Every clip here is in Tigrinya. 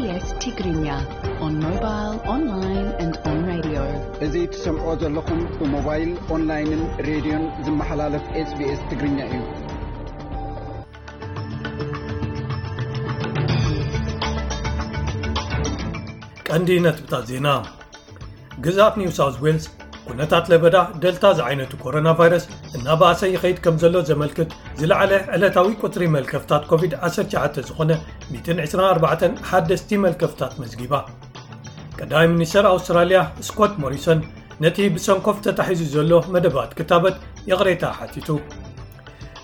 SBS Tigrinya on mobile, online and on radio. እዚ ትሰምዖ ዘለኹም ብሞባይል፣ ኦንላይንን ሬድዮን ዝመሓላለፍ SBS ትግርኛ እዩ። ቀንዲ ነጥብታት ዜና። ግዝኣት ኒው ሳውዝ ዌልስ ኩነታት ለበዳ ደልታ ዝዓይነቱ ኮሮና ቫይረስ እናበኣሰ ይኸይድ ከም ዘሎ ዘመልክት ዝለዓለ ዕለታዊ ቁጽሪ መልከፍታት ኮቪድ ዓሰርተ ትሽዓተ ዝኾነ ሚእትን ዕስራን ኣርባዕተን ሓደስቲ መልከፍታት መዝጊባ። ቀዳማይ ሚኒስተር ኣውስትራልያ ስኮት ሞሪሰን ነቲ ብሰንኮፍ ተታሒዙ ዘሎ መደባት ክታበት ይቕሬታ ሓቲቱ።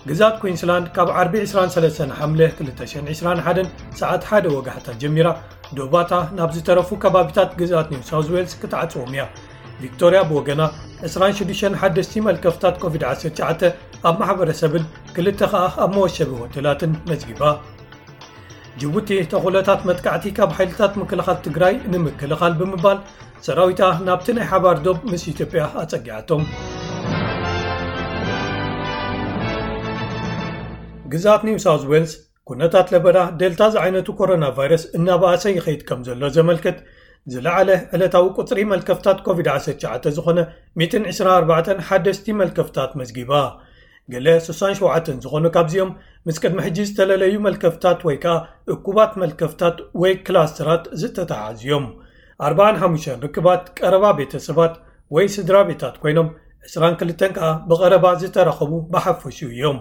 ግዝኣት ኩዊንስላንድ ካብ ዓርቢ ዕስራን ሰለስተን ሓምለ ክልተ ሽሕን ዕስራን ሓደን ሰዓት ሓደ ወጋሕታ ጀሚራ ዶባታ ናብ ዝተረፉ ከባቢታት ግዝኣት ኒው ሳውዝ ዌልስ ክትዓጽዎም እያ። ቪክቶርያ ብወገና ዕስራን ሽዱሽተን ሓደስቲ መልከፍታት ኮቪድ ዓሰርተ ትሽዓተ ኣብ ማሕበረሰብን ክልተ ከኣ ኣብ መወሸቢ ሆቴላትን መዝጊባ። ጅቡቲ ተኹለታት መጥቃዕቲ ካብ ሓይልታት ምክልኻል ትግራይ ንምክልኻል ብምባል ሰራዊታ ናብቲ ናይ ሓባር ዶብ ምስ ኢትዮጵያ ኣጸጊዓቶም። ግዝኣት ኒው ሳውዝ ዌልስ ኩነታት ለበዳ ዴልታ ዝዓይነቱ ኮሮና ቫይረስ እናበኣሰ ይኸይድ ከም ዘሎ ዘመልክት ዝለዓለ ዕለታዊ ቁጽሪ መልከፍታት ኮቪድ ዓሰርተ ትሽዓተ ዝኾነ ሚእትን ዕስራን ኣርባዕተን ሓደስቲ መልከፍታት መዝጊባ። ገለ ስሳን ሸውዓተን ዝኾኑ ካብዚኦም ምስ ቅድሚ ሕጂ ዝተለለዩ መልከፍታት ወይ ከኣ እኩባት መልከፍታት ወይ ክላስተራት ዝተተሓዙ እዮም። ኣርባዓን ሓሙሽተን ርክባት ቀረባ ቤተሰባት ወይ ስድራ ቤታት ኮይኖም ዕስራን ክልተን ከኣ ብቐረባ ዝተራኸቡ ብሓፈሽኡ እዮም።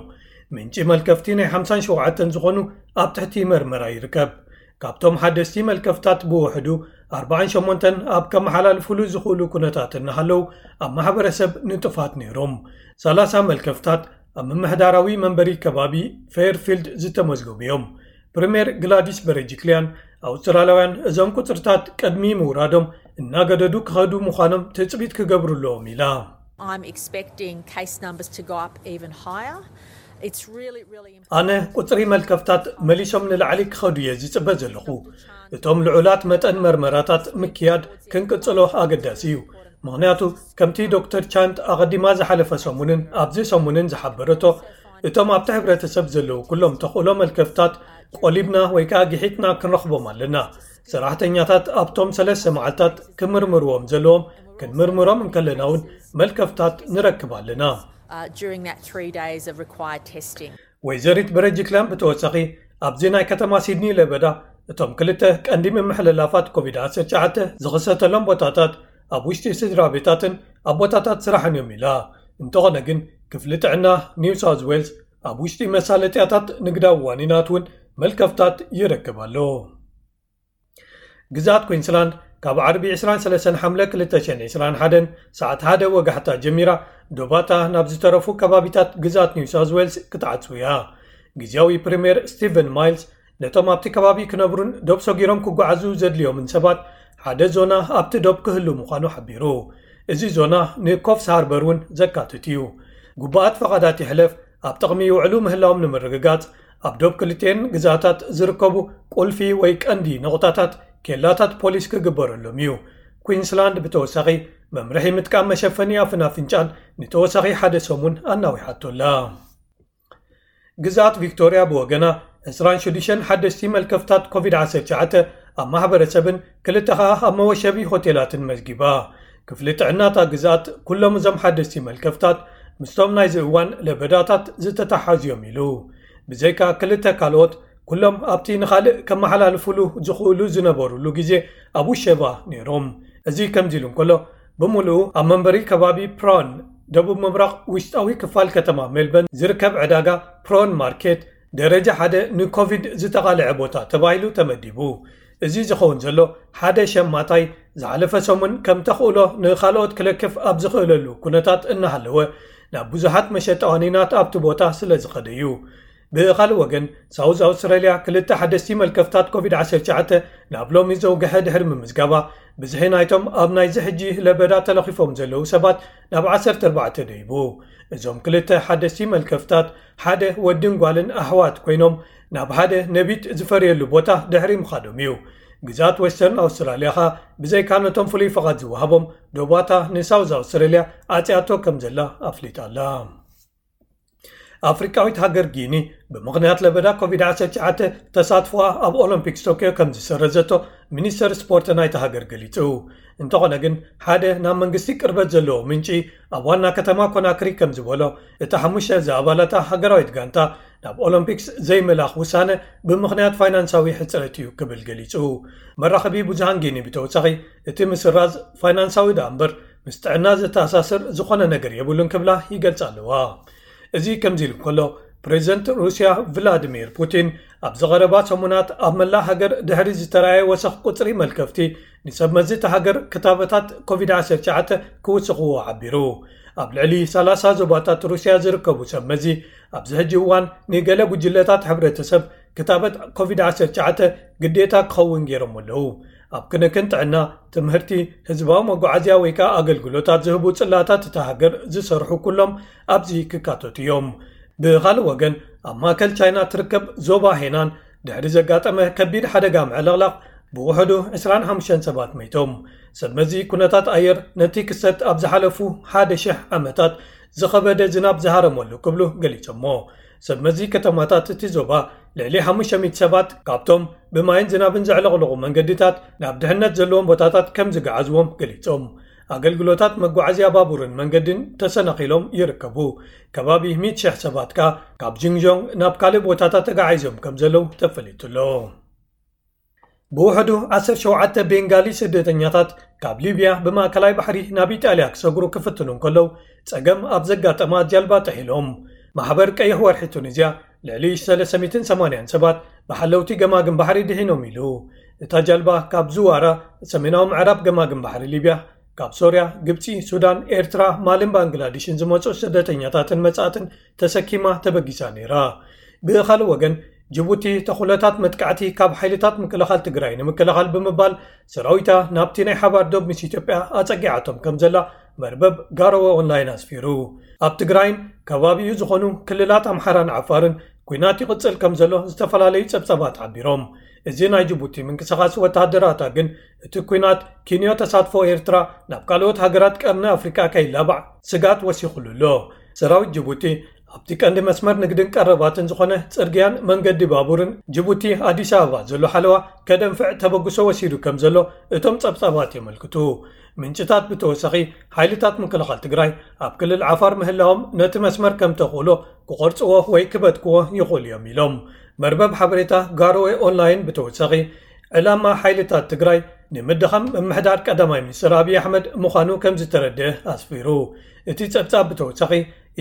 ምንጪ መልከፍቲ ናይ ሓምሳን ሸውዓተን ዝኾኑ ኣብ ትሕቲ መርመራ ይርከብ። ካብቶም ሓደስቲ መልከፍታት ብውሕዱ ኣርባዓን ሸሞንተን ኣብ ከመሓላልፉሉ ዝኽእሉ ኩነታት እናሃለዉ ኣብ ማሕበረሰብ ንጡፋት ነይሮም። ሰላሳ መልከፍታት ኣብ ምምሕዳራዊ መንበሪ ከባቢ ፌርፊልድ ዝተመዝገቡ እዮም። ፕሪምየር ግላዲስ በረጅክሊያን ኣውስትራልያውያን እዞም ቁጽርታት ቅድሚ ምውራዶም እናገደዱ ክኸዱ ምዃኖም ትጽቢት ክገብሩ ኣለዎም ኢላ። I'm expecting case numbers to go up even higher. It's really, really important. ኣነ ቁጽሪ መልከፍታት መሊሶም ንላዕሊ ክኸዱ እየ ዝጽበ ዘለኹ። እቶም ልዑላት መጠን መርመራታት ምክያድ ክንቅጽሎ ኣገዳሲ እዩ። ምኽንያቱ ከምቲ ዶክተር ቻንት ኣቐዲማ ዝሓለፈ ሰሙንን ኣብዚ ሰሙንን ዝሓበረቶ እቶም ኣብቲ ሕብረተሰብ ዘለዉ ኩሎም ተኽእሎ መልከፍታት ቆሊብና ወይ ከኣ ግሒጥና ክንረኽቦም ኣለና። ሰራሕተኛታት ኣብቶም ሰለስተ መዓልታት ክምርምርዎም ዘለዎም ክንምርምሮም እንከለና እውን መልከፍታት ንረክብ ኣለና። Uh, during that three days of required testing. ወይዘሪት በረጅክላን ብተወሳኺ ኣብዚ ናይ ከተማ ሲድኒ ለበዳ እቶም ክልተ ቀንዲ ምምሕልላፋት ኮቪድ ዓሰርተ ትሽዓተ ዝኽሰተሎም ቦታታት ኣብ ውሽጢ ስድራ ቤታትን ኣብ ቦታታት ስራሕን እዮም ኢላ። እንተኾነ ግን ክፍሊ ጥዕና ኒው ሳውዝ ዌልስ ኣብ ውሽጢ መሳለጥያታት ንግዳዊ ዋኒናት እውን መልከፍታት ይረክብ ኣሎ። ግዝኣት ኩዊንስላንድ ካብ ዓርቢ ዕስራን ሰለስተን ሓምለ ክልተ ሽሕን ዕስራን ሓደን ሰዓት ሓደ ወጋሕታ ጀሚራ ዶባታ ናብ ዝተረፉ ከባቢታት ግዝኣት ኒው ሳውዝ ዌልስ ክትዓጽው እያ። ግዝያዊ ፕሪምየር ስቲቨን ማይልስ ነቶም ኣብቲ ከባቢ ክነብሩን ዶብ ሰጊሮም ክጓዓዙ ዘድልዮምን ሰባት ሓደ ዞና ኣብቲ ዶብ ክህሉ ምዃኑ ሓቢሩ። እዚ ዞና ንኮፍስ ሃርበር እውን ዘካትት እዩ። ግቡኣት ፈቓዳት ይሕለፍ ኣብ ጥቕሚ ይውዕሉ ምህላዎም ንምርግጋጽ ኣብ ዶብ ክልቲኤን ግዝኣታት ዝርከቡ ቁልፊ ወይ ቀንዲ ነቑጣታት ኬላታት ፖሊስ ክግበረሎም እዩ። ኩዊንስላንድ ብተወሳኺ መምርሒ ምጥቃም መሸፈኒ ኣፍን ኣፍንጫን ንተወሳኺ ሓደ ሰሙን ኣናዊሓቶ ኣላ። ግዝኣት ቪክቶርያ ብወገና ዕስራን ሽዱሽተን ሓደስቲ መልከፍታት ኮቪድ ዓሰርተ ትሽዓተ ኣብ ማሕበረሰብን ክልተ ኸኣ ኣብ መወሸቢ ሆቴላትን መዝጊባ። ክፍሊ ጥዕናታ ግዝኣት ኩሎም እዞም ሓደስቲ መልከፍታት ምስቶም ናይዚ እዋን ለበዳታት ዝተተሓዙ እዮም ኢሉ። ብዘይካ ክልተ ካልኦት ኩሎም ኣብቲ ንኻልእ ከመሓላልፉሉ ዝኽእሉ ዝነበሩሉ ግዜ ኣብ ውሸባ ነይሮም። እዚ ከምዚ ኢሉ እንከሎ ብምሉኡ ኣብ መንበሪ ከባቢ ፕሮን ደቡብ ምብራቕ ውሽጣዊ ክፋል ከተማ ሜልበርን ዝርከብ ዕዳጋ ፕሮን ማርኬት ደረጃ ሓደ ንኮቪድ ዝተቓልዐ ቦታ ተባሂሉ ተመዲቡ። እዚ ዝኸውን ዘሎ ሓደ ሸማታይ ዝሓለፈ ሰሙን ከም ተኽእሎ ንኻልኦት ክለክፍ ኣብ ዝኽእለሉ ኩነታት እናሃለወ ናብ ብዙሓት መሸጣ ዋኒናት ኣብቲ ቦታ ስለ ዝኸደ እዩ። ብኻልእ ወገን ሳውዝ ኣውስትራልያ ክልተ ሓደስቲ መልከፍታት ኮቪድ ዓሰርተ ትሽዓተ ናብ ሎሚ ዘውግሐ ድሕሪ ምምዝጋባ ብዝሒ ናይቶም ኣብ ናይዚ ሕጂ ለበዳ ተለኺፎም ዘለዉ ሰባት ናብ ዓሰርተ ኣርባዕተ ደይቡ። እዞም ክልተ ሓደስቲ መልከፍታት ሓደ ወድን ጓልን ኣሕዋት ኮይኖም ናብ ሓደ ነቢት ዝፈርየሉ ቦታ ድሕሪ ምኻዶም እዩ። ግዝኣት ዌስተርን ኣውስትራልያ ኸኣ ብዘይካ ነቶም ፍሉይ ፍቓድ ዝወሃቦም ዶባታ ንሳውዝ ኣውስትራልያ ኣጽያቶ ከም ዘላ ኣፍሊጣ ኣላ። ኣፍሪቃዊት ሃገር ጊኒ ብምኽንያት ለበዳ ኮቪድ-19 ተሳትፎኣ ኣብ ኦሎምፒክስ ቶኪዮ ከም ዝሰረዘቶ ሚኒስተር ስፖርት ናይታ ሃገር ገሊጹ። እንተኾነ ግን፣ ሓደ ናብ መንግስቲ ቅርበት ዘለዎ ምንጪ ኣብ ዋና ከተማ ኮናክሪ ከም ዝበሎ፣ እታ ሓሙሽተ ዝኣባላታ ሃገራዊት ጋንታ ናብ ኦሎምፒክስ ዘይምልኣኽ ውሳነ ብምኽንያት ፋይናንሳዊ ሕጽረት እዩ ክብል ገሊጹ። መራኸቢ ብዙሃን ጊኒ ብተወሳኺ፣ እቲ ምስራዝ ፋይናንሳዊ ደኣ እምበር ምስ ጥዕና ዘተኣሳስር ዝኾነ ነገር የብሉን ክብላ ይገልጻ ኣለዋ። እዚ ከምዚ ኢሉ እንከሎ፣ ፕሬዚደንት ሩስያ ቭላዲሚር ፑቲን ኣብዚ ቀረባ ሰሙናት ኣብ መላእ ሃገር ድሕሪ ዝተራእየ ወሰኽ ቁጽሪ መልከፍቲ፣ ንሰብ መዚ እታ ሃገር ክታበታት ኮቪድ-19 ክውስኽዎ ሓቢሩ። ኣብ ልዕሊ 30 ዞባታት ሩስያ ዝርከቡ ሰብ መዚ ኣብዚ ሕጂ እዋን ንገለ ጉጅለታት ሕብረተሰብ ክታበት ኮቪድ-19 ግዴታ ክኸውን ገይሮም ኣለዉ። ኣብ ክንክን ጥዕና፣ ትምህርቲ፣ ህዝባዊ መጓዓዝያ ወይ ከኣ ኣገልግሎታት ዝህቡ ጽላታት እታ ሃገር ዝሰርሑ ኩሎም ኣብዚ ክካተቱ እዮም። ብኻልእ ወገን፣ ኣብ ማእከል ቻይና ትርከብ ዞባ ሄናን ድሕሪ ዘጋጠመ ከቢድ ሓደጋ ምዕልቕላቕ ብውሕዱ 25 ሰባት መይቶም። ሰብ መዚ ኩነታት ኣየር ነቲ ክስተት ኣብ ዝሓለፉ ሓደ ሽሕ ዓመታት ዝኸበደ ዝናብ ዝሃረመሉ ክብሉ ገሊጾሞ። ሰብ መዚ ከተማታት እቲ ዞባ ልዕሊ 500 ሰባት ካብቶም ብማይን ዝናብን ዘዕለቕለቑ መንገድታት ናብ ድሕነት ዘለዎም ቦታታት ከም ዝገዓዝዎም ገሊጾም። ኣገልግሎታት መጓዓዝያ ባቡርን መንገድን ተሰናኺሎም ይርከቡ። ከባቢ 100,000 ሰባት ከኣ ካብ ጂንግጆንግ ናብ ካልእ ቦታታት ተጋዒዞም ከም ዘለዉ ተፈሊጡ ኣሎ። ብውሕዱ 17 ቤንጋሊ ስደተኛታት ካብ ሊብያ ብማእከላይ ባሕሪ ናብ ኢጣልያ ክሰግሩ ክፍትኑ እንከለዉ፣ ጸገም ኣብ ዘጋጠማ ጃልባ ጥሒሎም። ማሕበር ቀይሕ ወርሒ ቱኒዝያ ልዕሊ 380 ሰባት ብሓለውቲ ገማግም ባሕሪ ድሒኖም ኢሉ። እታ ጃልባ ካብ ዝዋራ ሰሜናዊ ምዕራብ ገማግም ባሕሪ ሊብያ፣ ካብ ሶርያ፣ ግብጺ፣ ሱዳን፣ ኤርትራ፣ ማልን ባንግላዴሽን ዝመጹ ስደተኛታትን መጻእትን ተሰኪማ ተበጊሳ ነይራ። ብኻልእ ወገን፣ ጅቡቲ ተኹለታት መጥቃዕቲ ካብ ሓይልታት ምክልኻል ትግራይ ንምክልኻል ብምባል ሰራዊታ ናብቲ ናይ ሓባር ዶብ ምስ ኢትዮጵያ ኣጸጊዓቶም ከም ዘላ መርበብ ጋሮወ ኦንላይን ኣስፊሩ። ኣብ ትግራይን ከባቢኡ ዝኾኑ ክልላት ኣምሓራን ዓፋርን ኲናት ይቕጽል ከም ዘሎ ዝተፈላለዩ ጸብጻባት ሓቢሮም። እዚ ናይ ጅቡቲ ምንቅስቓስ ወተሃደራታ ግን፣ እቲ ኲናት ኪንዮ ተሳትፎ ኤርትራ ናብ ካልኦት ሃገራት ቀርኒ ኣፍሪቃ ከይላባዕ ስጋት ወሲኹሉ ኣሎ። ሰራዊት ጅቡቲ ኣብቲ ቀንዲ መስመር ንግድን ቀረባትን ዝኾነ ጽርግያን መንገዲ ባቡርን ጅቡቲ ኣዲስ ኣበባ ዘሎ ሓለዋ ከደንፍዕ ተበግሶ ወሲዱ ከም ዘሎ እቶም ጸብጻባት የመልክቱ። ምንጭታት ብተወሳኺ፣ ሓይልታት ምክልኻል ትግራይ ኣብ ክልል ዓፋር ምህላዎም ነቲ መስመር ከም ተኽእሎ ክቖርጽዎ ወይ ክበትክዎ ይኽእሉ እዮም ኢሎም። መርበብ ሓበሬታ ጋሮዌ ኦንላይን ብተወሳኺ፣ ዕላማ ሓይልታት ትግራይ ንምድኻም ምምሕዳር ቀዳማይ ሚኒስትር ኣብይ ኣሕመድ ምዃኑ ከም ዝተረድአ ኣስፊሩ። እቲ ጸብጻብ ብተወሳኺ፣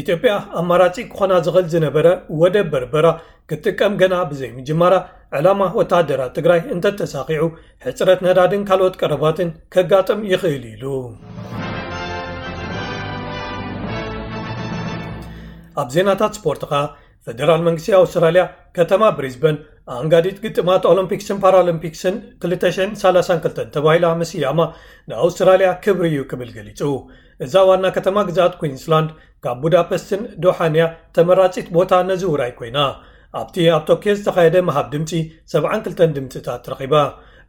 ኢትዮጵያ ኣማራጺ ክኾና ዝኽእል ዝነበረ ወደብ በርበራ ክትጥቀም ገና ብዘይምጅማራ፣ ዕላማ ወተሃደራት ትግራይ እንተተሳኺዑ፣ ሕጽረት ነዳድን ካልኦት ቀረባትን ከጋጥም ይኽእል ኢሉ። ኣብ ዜናታት ስፖርት ኸኣ፣ ፈደራል መንግስቲ ኣውስትራልያ ከተማ ብሪዝበን ኣንጋዲት ግጥማት ኦሎምፒክስን ፓራኦሎምፒክስን 2032 ተባሂላ ምስያማ ንኣውስትራልያ ክብሪ እዩ ክብል ገሊጹ። እዛ ዋና ከተማ ግዝኣት ኩዊንስላንድ ካብ ቡዳፐስትን ዶሓን እያ ተመራጺት ቦታ ነዚ ውራይ ኮይና። ኣብቲ ኣብ ቶኪዮ ዝተኻየደ ምሃብ ድምጺ 72 ድምጽታት ረኺባ።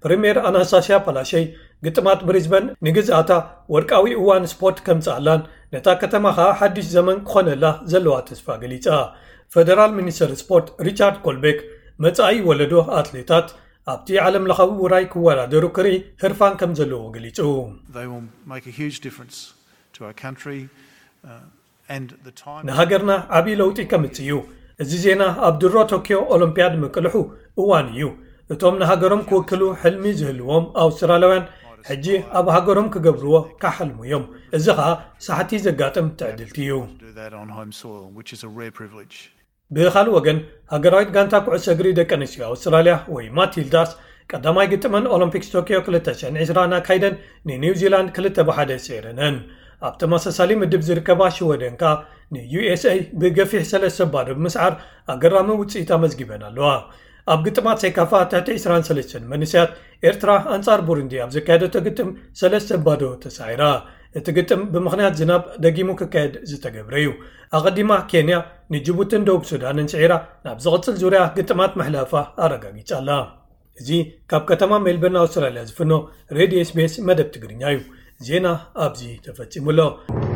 ፕሪምየር ኣናስታስያ ፓላሸይ ግጥማት ብሪዝበን ንግዝኣታ ወርቃዊ እዋን ስፖርት ከምጽኣላን ነታ ከተማ ኸኣ ሓድሽ ዘመን ክኾነላ ዘለዋ ተስፋ ገሊጻ። ፈደራል ሚኒስተር ስፖርት ሪቻርድ ኮልቤክ፣ መጻኢ ወለዶ ኣትሌታት ኣብቲ ዓለም ለኻዊ ውራይ ክወዳደሩ ክርኢ ህርፋን ከም ዘለዎ ገሊጹ። They will make a huge difference to our country uh, and the time. ንሃገርና ዓብዪ ለውጢ ከምጽእ እዩ። እዚ ዜና ኣብ ድሮ ቶኪዮ ኦሎምፒያድ ምቅልሑ እዋን እዩ። እቶም ንሃገሮም ክውክሉ ሕልሚ ዝህልዎም ኣውስትራልያውያን ሕጂ ኣብ ሃገሮም ክገብርዎ ክሓልሙ እዮም። እዚ ኸኣ ሳሕቲ ዘጋጥም ትዕድልቲ እዩ። Do that on home soil, which is a rare privilege. ብኻልእ ወገን፣ ሃገራዊት ጋንታ ኩዕሶ እግሪ ደቂ ኣንስትዮ ኣውስትራልያ ወይ ማቲልዳስ ቀዳማይ ግጥመን ኦሎምፒክስ ቶኪዮ 2020 ኣካይደን ንኒውዚላንድ ክልተ ብሓደ ስዒረነን። ኣብ ተመሳሳሊ ምድብ ዝርከባ ሽወደን ከኣ ንዩኤስኤ ብገፊሕ ሰለስተ ባዶ ብምስዓር ኣገራሚ ውጽኢት ኣመዝጊበን ኣለዋ። ኣብ ግጥማት ሴካፋ ትሕቲ 23 መንእሰያት ኤርትራ ኣንጻር ቡሩንዲ ኣብ ዘካየደቶ ግጥም ሰለስተ ባዶ ተሳዒራ። እቲ ግጥም ብምኽንያት ዝናብ ደጊሙ ክካየድ ዝተገብረ እዩ። ኣቐዲማ ኬንያ ንጅቡትን ደቡብ ሱዳንን ስዒራ ናብ ዝቕጽል ዙርያ ግጥማት ምሕላፋ ኣረጋጊጻ ኣላ። እዚ ካብ ከተማ ሜልበርን ኣውስትራልያ ዝፍኖ ሬድዮ ኤስቢኤስ መደብ ትግርኛ እዩ። ዜና ኣብዚ ተፈጺሙ ኣሎ።